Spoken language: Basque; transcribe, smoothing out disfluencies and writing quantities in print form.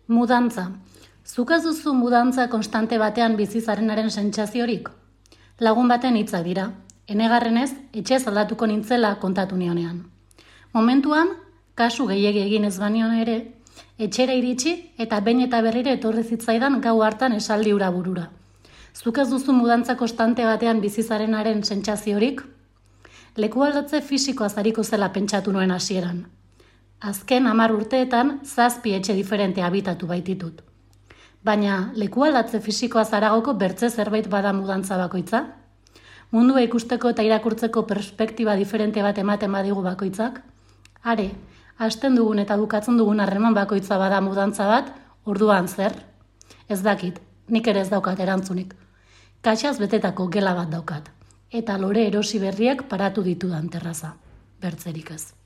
Mudantza. Zuk ez duzu mudantza konstante batean bizizarenaren sentsaziorik? Lagun baten hitzak dira. Enegarrenez, etxez aldatuko nintzela kontatu nionean. Momentuan, kasu gehiegi egin ez banion ere, etxera iritsi eta behin eta berriro etorri zitzaidan gau hartan esaldi hura burura. Zuk ez duzu mudantza konstante batean bizizarenaren sentsaziorik? Leku aldatze fisikoa zariko zela pentsatu nuen hasieran. Azken 10 urteetan 7 etxe diferente habitatu baititut. Baina leku aldatze fisikoa zaragoko bertze zerbait bada mudantza bakoitza? Mundua ikusteko eta irakurtzeko perspektiba diferente bat ematen badigu bakoitzak? Are, hasten dugun eta bukatzen dugun harreman bakoitza bada mudantza bat, orduan zer? Ez dakit, nik ere ez daukat erantzunik. Kaxaz betetako gela bat daukat, eta lore erosi berriak paratu ditudan terraza, bertzerik ez.